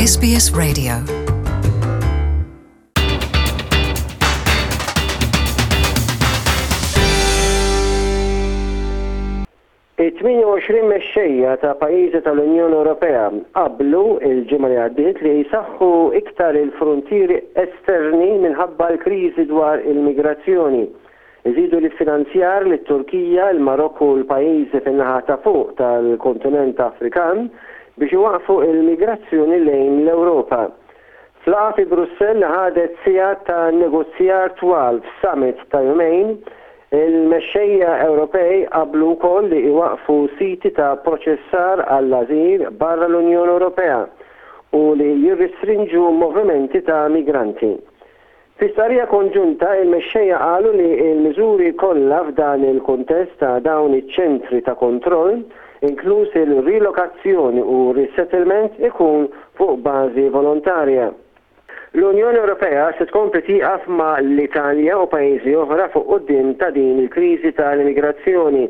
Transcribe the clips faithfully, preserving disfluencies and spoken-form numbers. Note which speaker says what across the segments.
Speaker 1: S B S Radio.
Speaker 2: It-tmienja u għoxrin mexxejja ta' pajjiżi tal-Unjoni Ewropea qablu il-ġimgħa li għaddiet li jsaħħu iktar il-frontieri esterni minħabba l-kriżi dwar il-migrazzjoni. Iżidu l-finanzjar lit-Turkija, il-Marokku u l-pajjiżi fin-naħa ta' fuq tal-kontinent Afrikan biex iwaqfu il-migrazzjoni lejn l-Ewropa. F'laqgħa fi Brussell li ħadet sigħat ta' negozjar twal f'summit ta' jumejn, il-mexxejja Ewropej qablu wkoll li iwaqfu siti ta' proċessar għall-ażil barra l-Unjoni Ewropea u li jirrestrinġu movimenti ta' migranti. Fi stqarrija konġunta, il-mexxejja qalu li l-miżuri kollha f'dan il-kuntest ta' dawn iċ-ċentri ta' kontroll, inkluż il-rilokazzjoni u resettlement, ikun fuq bażi volontarja. L-Unjoni Ewropea se tkompli tieqaf ma' l-Italja u pajjiżi oħra fuq quddiem ta' din il-kriżi tal-immigrazzjoni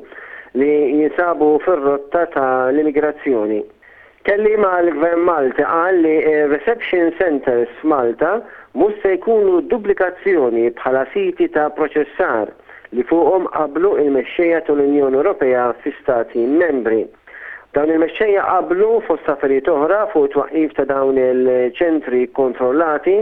Speaker 2: li jinsabu fir-rotta tal-immigrazzjoni. Kelliem għall-Gvern Malti qal li reception centers f'Malta mhux se jkunu duplikazzjoni bħala siti ta' proċessar li fuqhom qablu il-mexxejja tal-Unjoni Ewropea fi stati membri. Dawn il-mexxejja qablu, fost affarijiet oħra, fuq twaqqif ta' dawn il-ċentri kontrollati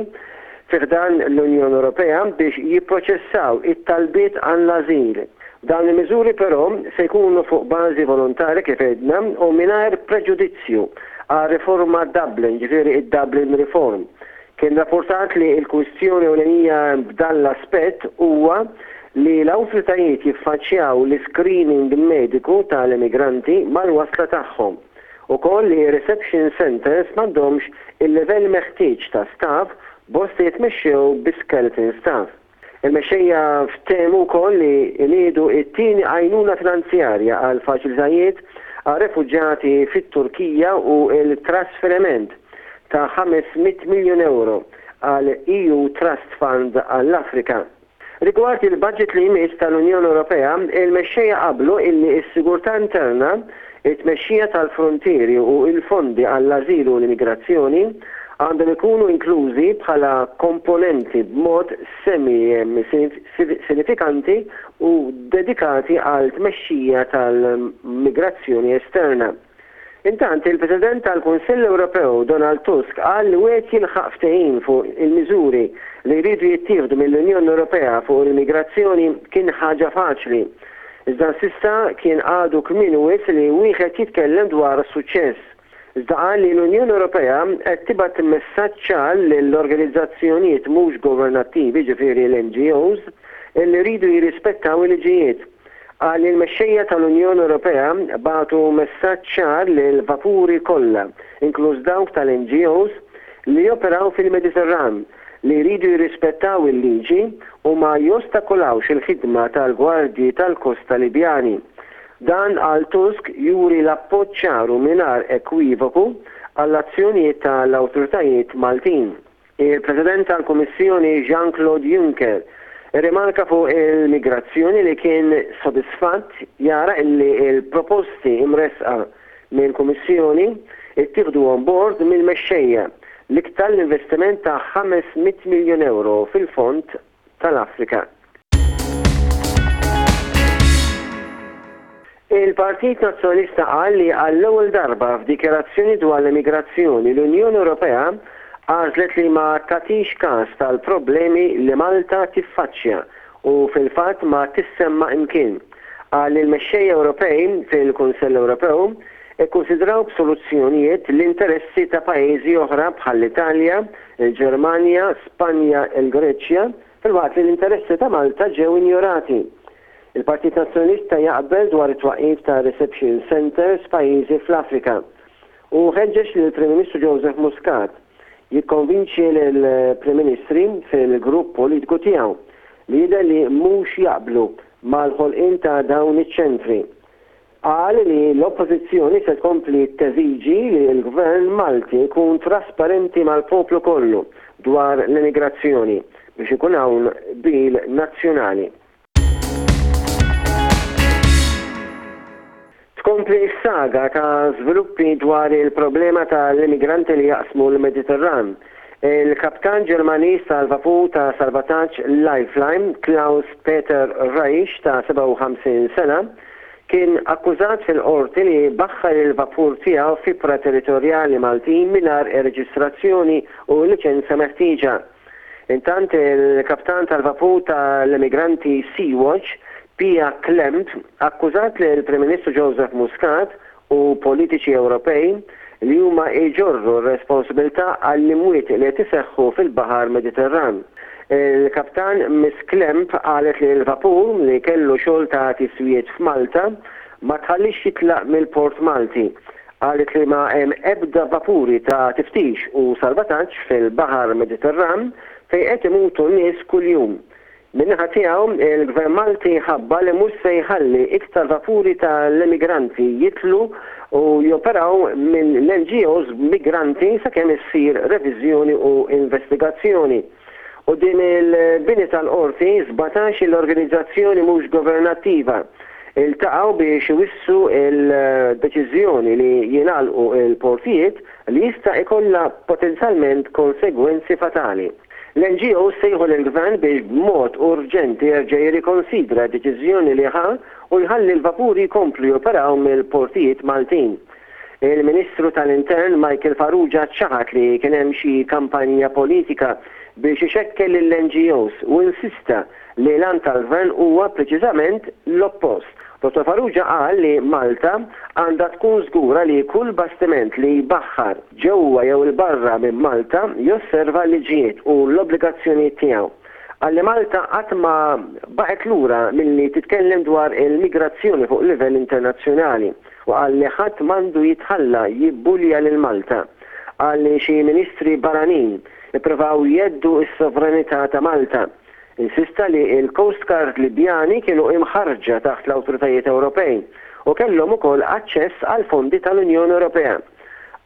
Speaker 2: fi ħdan l-Unjoni Ewropea biex jipproċessaw it-talbiet għall-ażil. Dawn il-miżuri però se jkunu fuq bażi volontarja, kif għedna, u mingħajr preġudizzju għal riforma Dublin, ġifieri id-Dublin Reform. Kien rapportat li l-kwistjoni ewlenija b'dan l-aspett huwa li l-awtoritajiet jiffaċċjaw l-screening mediku tal-immigranti mal-wasla tagħhom. Ukoll li reception centers m'għandhomx il-livell meħtieġ ta' staff, bosta jitmexxew bi skeleton staff. Il-mexxejja ftehmu wkoll li jniedu it-tieni għajnuna finanzjarja għal faċilitajiet għal refuġjati fit-Turkija u il-trasferiment ta' ħames mitt miljon euro għal E U Trust Fund għall-Afrika. Rigward il-budget li jmiss tal-Unjoni Ewropea, il-mexxejja qablu illi s-sigurtà interna, it-tmexxija tal-frontieri u il-fondi għall-ażilu u l-immigrazzjoni għandhom ikunu inklużi bħala komponenti b'mod semi sinifikanti u dedikati għal tmexxija tal-migrazzjoni esterna. Intant, il-President tal-Kunsill Ewropew Donald Tusk qal li wieħed jilħaq ftehim fuq il-miżuri li jridu jittieħdu mill-Unjoni Ewropea fuq l-immigrazzjoni kien ħaġa faċli. Iżda s'issa kien għadu kmieni wisq li wieħed jitkellem dwar suċċess. Iżda qal li l-Unjoni Ewropea qed tibgħat messaġġ ċar lill-organizzazzjonijiet mhux governattivi, ġifieri l-N G Os, li jridu jirrispettaw il-liġijiet. Qal li l-mexxejja tal-Unjoni Ewropea bagħtu messaġġ ċar lil vapuri kollha, inkluż dawk tal-N G Os li joperaw fil-Mediterran, li jridu jirrispettaw il-liġi u ma jostakolawx il-ħidma tal-gwardji tal-Kosta Libjani. Dan, għal Tusk, juri l-appoġġ ċar u mingħajr ekwivoku għall-azzjonijiet tal-awtoritajiet Maltin. Il-President tal-Kummissjoni Jean-Claude Juncker rimarka fuq il-migrazzjoni li kien sodisfatt jara illi il-proposti imresqa mill-Kummissjoni ittieħdu on board mill-mexxejja, l-iktar l-investiment ta' ħames mitt miljon euro fil-fond tal-Afrika. Il-Partit Nazzjonalista qal li għall-ewwel darba f'dikjarazzjoni dwar l-immigrazzjoni l-Unjoni Ewropea għażlet li ma tagħtix każ tal-problemi li Malta tiffaċċja u fil-fatt ma tissemma imkien. Qal li l-mexxejja Ewropej fil-Kunsell Ewropew ikkonsidraw b'soluzzjonijiet l-interessi ta' pajjiżi oħra bħall-Italja, il-Ġermanja, Spanja, il-Greċja, filwaqt li l-interessi ta' Malta ġew injorati. Il-Partit Nazzjonalista jaqbel dwar it-twaqif ta' reception centers pajjiżi fl-Afrika u ħeġġeġ lill-Prim Ministru Joseph Muscat jikkonvinċi l-Prim Ministri fil-grupp politiku tiegħu li jidher li mhux jaqblu mal-ħolqien ta' dawn iċ-ċentri. Qal li l-oppożizzjoni se tkompli teżiġi li l-Gvern Malti jkun trasparenti mal-poplu kollu dwar l-immigrazzjoni biex ikun hawn qbil nazzjonali. Tkompli Tkompli s-saga ta' żviluppi dwar il-problema tal-immigranti li jaqsmu l-Mediterran. Il-kaptan Ġermaniż tal-vapur ta' salvataġġ Lifeline, Klaus Peter Reich ta' sebgħa u ħamsin sena, kien akkużat fil-qorti li baħħar il-vapur tiegħu f'ibħra territorjali Maltin mingħajr ir-reġistrazzjoni u liċenza meħtieġa. Intant, il-kaptan tal-vapur tal-immigranti Sea-Watch, Pia Klemp, akkużat li l-Prim Ministru Joseph Muscat u politiċi Ewropej li huma iġorru r-responsabilità għall-imwiet li qed iseħħu fil-Baħar Mediterran. Il-kaptan Miss Klemp qalet li l-vapur, li kellu xogħol ta' tiswijiet f'Malta, ma tħallix jitlaq mill-Port Malti. Qalet li ma hemm ebda vapuri ta' tiftix u salvataġġ fil-Baħar Mediterran fejn qed imutu nies kuljum. Min-naħa tiegħu, il-Gvern Malti ħabbar li mhux se jħalli iktar vapuri tal-immigranti jitlu u joperaw minn l-N G Os migranti sakemm issir reviżjoni u investigazzjoni. Quddiem il-bini tal-qorti, sbatax l-organizzazzjoni mhux governattiva iltaqgħu biex iwissu il-deċiżjoni li jingħalqu il-portijiet li jista' ikollha potenzjalment konsegwenzi fatali. L-N G O sejħu l-gvern biex b'mod urġenti jerġa' jirrikonsidra deċiżjoni li ħa u jħalli l-vapuri jkomplu joperaw mill-portijiet Maltin. Il-Ministru tal-Intern Michael Farrugia ċaħat li kien hemm xi kampanja politika biex ixekkel l-N G Os u insista li l-għan tal-gvern huwa preċiżament l-oppost. Dottor Farrugia qal li Malta għandha tkun żgura li kull bastiment li jbaħħar ġewwa jew il-barra minn Malta josserva liġijiet u l-obbligazzjonijiet tiegħu. Qal li Malta qatt ma baqgħet lura milli titkellem dwar il-migrazzjoni fuq livell internazzjonali u qal li ħadd m'għandu jitħalla jibbulja lil Malta. Qal li xi ministri barranin ippruvaw jheddu s-sovranità ta' Malta. Insista li il-Coast Guard Libjani kienu imħarġa taħt l-awtoritajiet Ewropej u kellhom ukoll aċċess għal fondi tal-Unjoni Ewropea.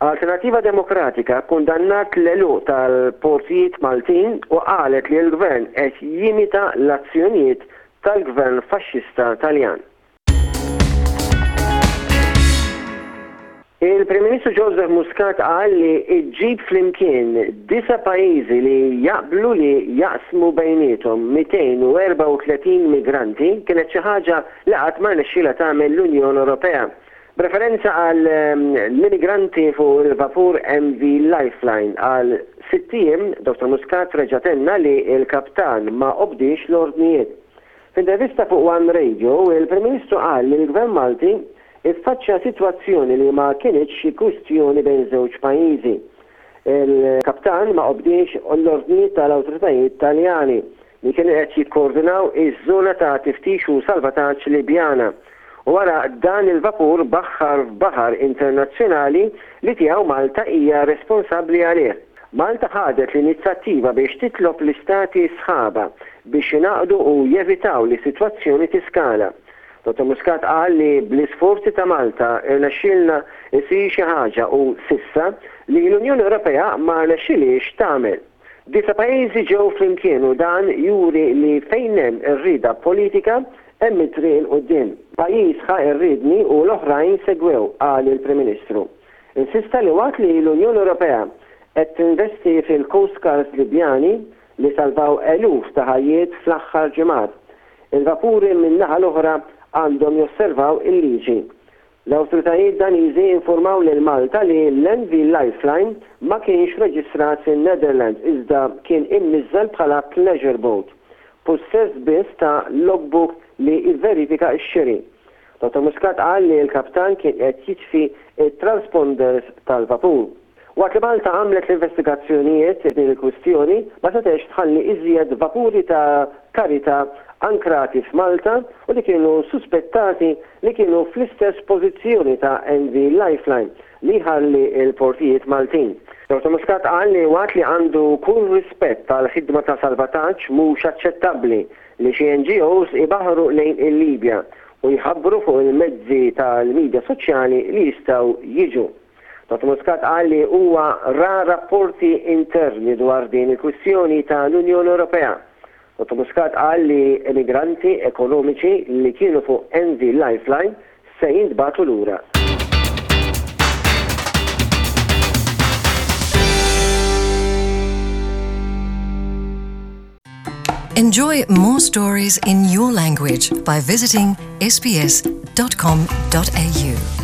Speaker 2: Alternativa Demokratika kundannat l-għeluq tal-portijiet Maltin u qalet li l-gvern qed jimita l-azzjonijiet tal-gvern faxxista Taljan. Il-Prim Ministru Joseph Muscat qal li iġġib flimkien disa' pajjiżi li jaqblu li jaqsmu bejniethom mitejn u erbgħa u tletin migranti kienet xi ħaġa li qatt ma rnexxielha tagħmel l-Unjoni Ewropea. B'referenza għal ehm, l-immigranti fuq il-vapur M V Lifeline għal sitt ijiem, Dottor Muscat reġa' tenna li il-kaptan ma obdiex l-ordnijiet. F'intervista fuq One Radio, il-Prim Ministru qal li l-Gvern Malti iffaċċja sitwazzjoni li ma kienx xi kwistjoni bejn żewġ pajjiżi. Il-kaptan ma obdiex l-ordnijiet tal-awtoritajiet Taljani li kienu qed jikkoordinaw iż-żona ta' tiftix u salvataġġ Libjana. U wara dan il-vapur baħħar f'baħar internazzjonali li tiegħu Malta hija responsabbli għalih. Malta ħadet l-inizjattiva biex titlob l-istati sħaba biex jingħaqdu u jevitaw li situazzjoni tiskala. Dottor Muscat qal li bl-isforzi ta' Malta irnexxielna isir xi ħaġa u s'issa li l-Unjoni Ewropea ma rnexxilhiex tagħmel. Disa' pajjiżi ġew flimkien u dan juri li fejn hemm ir-rieda politika hemm it-triq 'il quddiem. Pajjiż ħa r-riedni u l-oħrajn segwew, qal il-Prim Ministru. Insista li waqt li l-Unjoni Ewropea qed tinvesti fil-Coast Guards Libjani li salvaw eluf ta' ħajjiet fl-aħħar ġimgħat, il-vapuri min-naħa l-oħra għandhom josservaw il-liġi. L-awtoritajiet Daniżi informaw lil Malta li l-M V Lifeline ma kienx reġistrat fin-Netherlands iżda kien imniżżel bħala pleasure boat, possess biss ta' logbook li jverifika x-xiri. Dottor Muscat qal li l-kaptan kien qed jitfi it-transponders tal-vapur. Waqt li Malta għamlet l-investigazzjonijiet din il-kwistjoni, ma setgħetx tħalli iżjed vapuri ta' karita ankrati f'Malta u li kienu suspettati li kienu fl-istess pożizzjoni ta' M V Lifeline li ħalli il-portijiet Maltin. Dottor Muscat qal li waqt li għandu kull rispett tal-ħidma ta' salvataġġ, mhux aċċettabbli li xi N G Os ibaħru lejn il-Libja u jħabbru fuq il-mezzi tal-medja soċjali li jistgħu jiġu. Dottor Muscat qal li huwa ra rapporti interni dwar din il-kwistjoni tal-Unjoni Ewropea. Dottor Muscat qal li emigranti ekonomiċi li kienu fuq M V Lifeline se jintbagħtu lura.
Speaker 1: Enjoy more stories in your language by visiting S B S dot com dot A U.